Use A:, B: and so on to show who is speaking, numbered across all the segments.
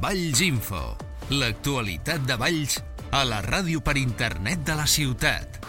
A: Valls Info, l'actualitat de Valls a la ràdio per internet de la ciutat.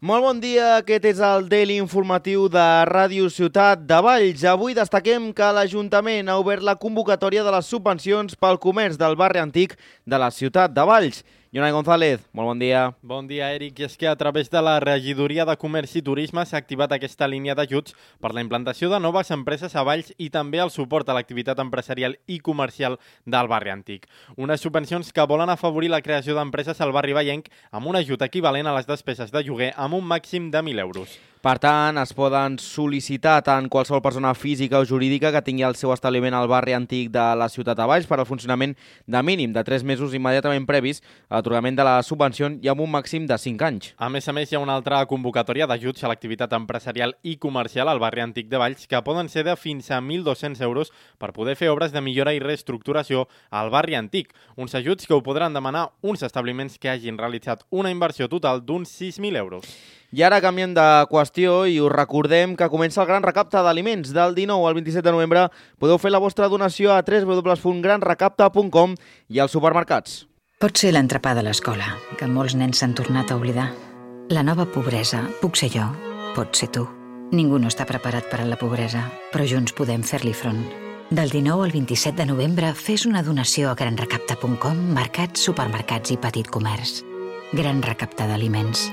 B: Molt bon dia, aquest és el Daily informatiu de Ràdio Ciutat de Valls. Avui destaquem que l'Ajuntament ha obert la convocatòria de les subvencions pel comerç del barri antic de la ciutat de Valls. Jonai González, molt bon dia.
C: Bon dia, Eric. I és que a través de la Regidoria de Comerç i Turisme s'ha activat aquesta línia d'ajuts per la implantació de noves empreses a Valls i també el suport a l'activitat empresarial i comercial del barri antic. Unes subvencions que volen afavorir la creació d'empreses al barri vallenc amb un ajut equivalent a les despeses de lloguer amb un màxim de 1.000 euros.
B: Per tant, es poden sol·licitar tant qualsevol persona física o jurídica que tingui el seu establiment al barri antic de la ciutat de Valls per al funcionament de mínim de 3 mesos immediatament previs a l'atorgament de la subvenció i amb un màxim de 5 anys.
C: A més, hi ha una altra convocatòria d'ajuts a l'activitat empresarial i comercial al barri antic de Valls que poden ser de fins a 1.200 euros per poder fer obres de millora i reestructuració al barri antic. Uns ajuts que ho podran demanar uns establiments que hagin realitzat una inversió total d'uns 6.000 euros.
B: I ara canviem de qüestió i us recordem que comença el gran recapte d'aliments. Del 19 al 27 de novembre podeu fer la vostra donació a www.granrecapte.com i als supermercats.
D: Pot ser l'entrepà de l'escola, que molts nens s'han tornat a oblidar. La nova pobresa puc ser jo, pot ser tu. Ningú no està preparat per a la pobresa, però junts podem fer-li front. Del 19 al 27 de novembre fes una donació a granrecapte.com, mercats, supermercats i petit comerç. Gran recapte d'aliments.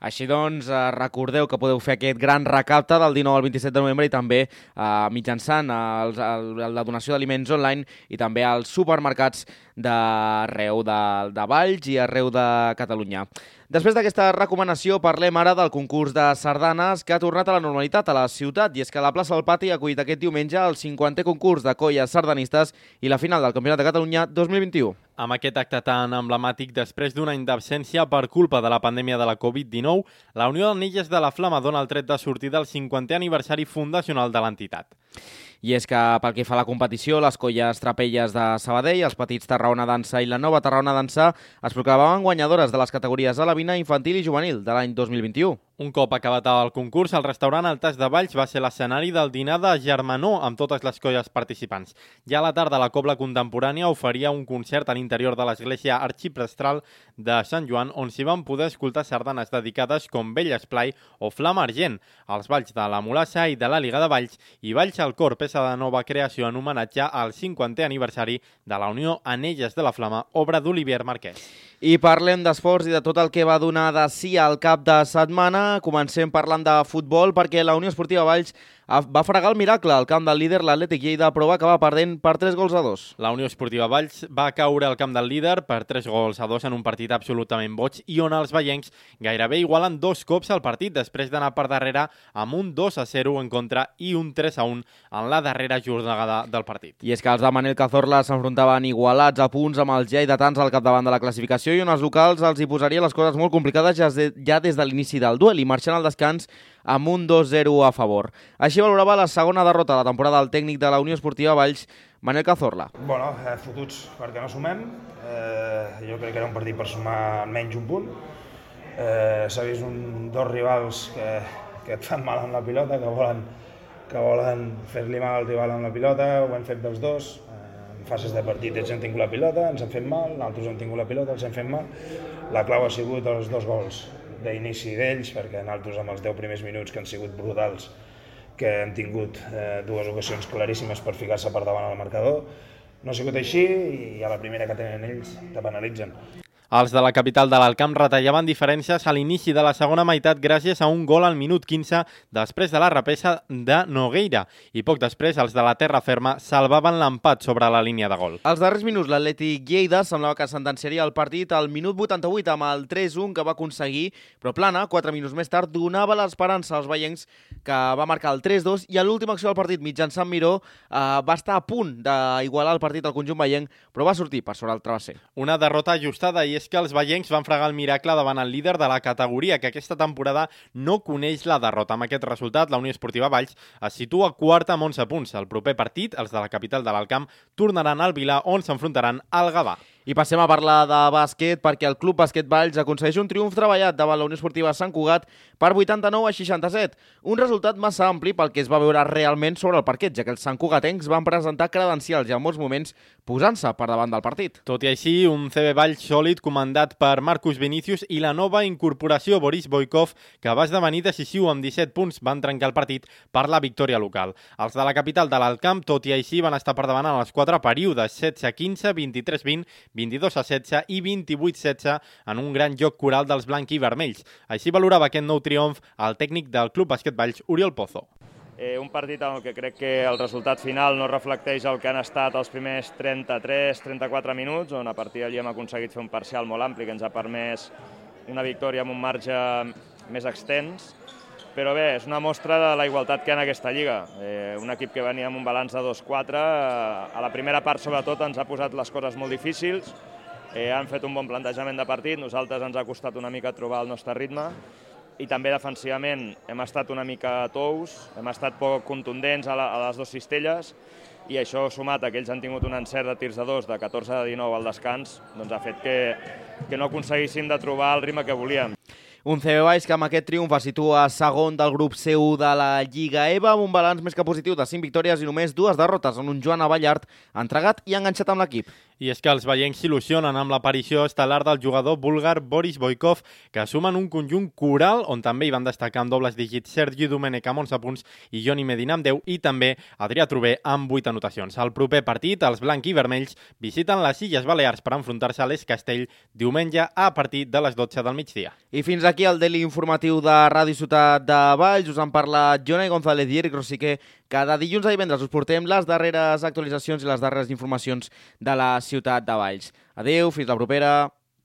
B: Així doncs, recordeu que podeu fer aquest gran recapte del 19 al 27 de novembre i també mitjançant la donació d'aliments online i també als supermercats d'arreu de Valls i arreu de Catalunya. Després d'aquesta recomanació parlem ara del concurs de sardanes que ha tornat a la normalitat a la ciutat i és que la plaça del Pati ha acollit aquest diumenge el 50è concurs de colles sardanistes i la final del Campionat de Catalunya 2021.
C: Amb aquest acte tan emblemàtic després d'un any d'absència per culpa de la pandèmia de la Covid-19, la Unió d'Anelles de la Flama dona el tret de sortir del 50è aniversari fundacional de l'entitat.
B: I és que pel que fa a la competició, les colles Trapelles de Sabadell, els petits Tarragona Dansa i la nova Tarragona Dansa es proclamaven guanyadores de les categories alevina, infantil i juvenil de l'any 2021.
C: Un cop acabat el concurs, el restaurant El Tas de Valls va ser l'escenari del dinar de germanor amb totes les colles participants. Ja a la tarda, la Cobla Contemporània oferia un concert a l'interior de l'església arxiprestral de Sant Joan, on s'hi van poder escoltar sardanes dedicades com Vell Esplai o Flama Argent, els balls de la Mulassa i de la Liga de Valls i Valls al Cor, peça de nova creació en homenatge al 50è aniversari de la Unió Anelles de la Flama, obra d'Olivier Marquès.
B: I parlem d'esports i de tot el que va donar de sí al cap de setmana. Comencem parlant de futbol perquè la Unió Esportiva Valls va fregar el miracle al camp del líder, l'Atlètic Lleida, però va acabar perdent per 3-2.
C: La Unió Esportiva Valls va caure al camp del líder per 3-2 en un partit absolutament boig i on els vallencs gairebé igualen 2 cops al partit després d'anar per darrere amb un 2-0 en contra i un 3-1 en la darrera jornada del partit.
B: I és que els de Manel Cazorla s'enfrontaven igualats a punts amb els lleidatans al capdavant de la classificació i on els locals els hi posaria les coses molt complicades ja des de l'inici del duel i marxant al descans amb un 2-0 a favor. Així valorava la segona derrota de la temporada del tècnic de la Unió Esportiva Valls, Manel Cazorla.
E: Bueno, fotuts perquè no sumem. Jo crec que era un partit per sumar menys un punt. S'ha vist dos rivals que et fan mal amb la pilota, que volen fer-li mal al rival amb la pilota. Ho hem fet dels dos. En fases de partit ells han tingut la pilota, ens han fet mal, nosaltres hem tingut la pilota, els hem fet mal. La clau ha sigut els 2 gols d'inici d'ells, perquè nosaltres amb els 10 primers minuts que han sigut brutals, que han tingut 2 ocasions claríssimes per ficar-se per davant al marcador, no ha sigut així i a la primera que tenen ells te penalitzen.
C: Els de la capital de l'Alcamp retallaven diferències a l'inici de la segona meitat gràcies a un gol al minut 15 després de la repesa de Nogueira i poc després els de la terra ferma salvaven l'empat sobre la línia de gol.
B: Als darrers minuts l'Atlètic Lleida semblava que sentenciaria el partit al minut 88 amb el 3-1 que va aconseguir, però Plana, 4 minuts més tard, donava l'esperança als veiencs que va marcar el 3-2 i a l'última acció del partit mitjançant Miró va estar a punt d'igualar el partit al conjunt veienc, però va sortir per sobre el travesser.
C: Una derrota ajustada i és que els veiencs van fregar el miracle davant el líder de la categoria, que aquesta temporada no coneix la derrota. Amb aquest resultat, la Unió Esportiva Valls es situa quarta amb 11 punts. El proper partit, els de la capital de l'Alcamp, tornaran al Vilar, on s'enfrontaran al Gavà.
B: I passem a parlar de bàsquet perquè el Club Bàsquet Valls aconsegueix un triomf treballat davant la Unió Esportiva Sant Cugat per 89-67. Un resultat massa ampli pel que es va veure realment sobre el parquet, ja que els santcugatencs van presentar credencials i en molts moments posant-se per davant del partit.
C: Tot i així, un CB Valls sòlid comandat per Marcus Vinicius i la nova incorporació Boris Boykov, que va esdevenir decisiu amb 17 punts, van trencar el partit per la victòria local. Els de la capital de l'Alt Camp, tot i així, van estar per davant en els 4 períodes, 16-15, 23-20, 22-16 i 28-16 en un gran joc coral dels blanc i vermells. Així valorava aquest nou triomf el tècnic del Club Bàsquet Valls, Oriol Pozo.
F: Un partit en el que crec que el resultat final no reflecteix el que han estat els primers 33-34 minuts, on a partir d'allí hem aconseguit fer un parcial molt ampli que ens ha permès una victòria amb un marge més extens. Però bé, és una mostra de la igualtat que hi ha en aquesta lliga. Un equip que venia amb un balanç de 2-4, a la primera part sobretot ens ha posat les coses molt difícils, han fet un bon plantejament de partit, nosaltres ens ha costat una mica trobar el nostre ritme, i també defensivament hem estat una mica tous, hem estat poc contundents a les dues cistelles, i això sumat a que ells han tingut un encert de tirs de 2 de 14-19 al descans, doncs ha fet que no aconseguíssim de trobar el ritme que volíem.
B: Un CB Valls que amb aquest triomf es situa segon del grup C1 de la Lliga EVA amb un balanç més que positiu de 5 victòries i només 2 derrotes en un Joan Avallart entregat i enganxat amb l'equip.
C: I és que els veiencs s'il·lusionen amb l'aparició estel·lar del jugador búlgar Boris Boykov, que sumen un conjunt coral on també hi van destacar amb dobles dígits Sergi Domènech amb 11 punts i Joni Medina amb 10 i també Adrià Trové amb 8 anotacions. Al proper partit, els blanc i vermells visiten les Illes Balears per enfrontar-se a l'Es Castell diumenge a partir de les 12 del migdia.
B: I fins aquí el Daily informatiu de Ràdio Ciutat de Valls. Us han parlat Jonai González i Eric Rosique. Cada dilluns a divendres us portem les darreres actualitzacions i les darreres informacions de la ciutat de Valls. Adéu, fins la propera.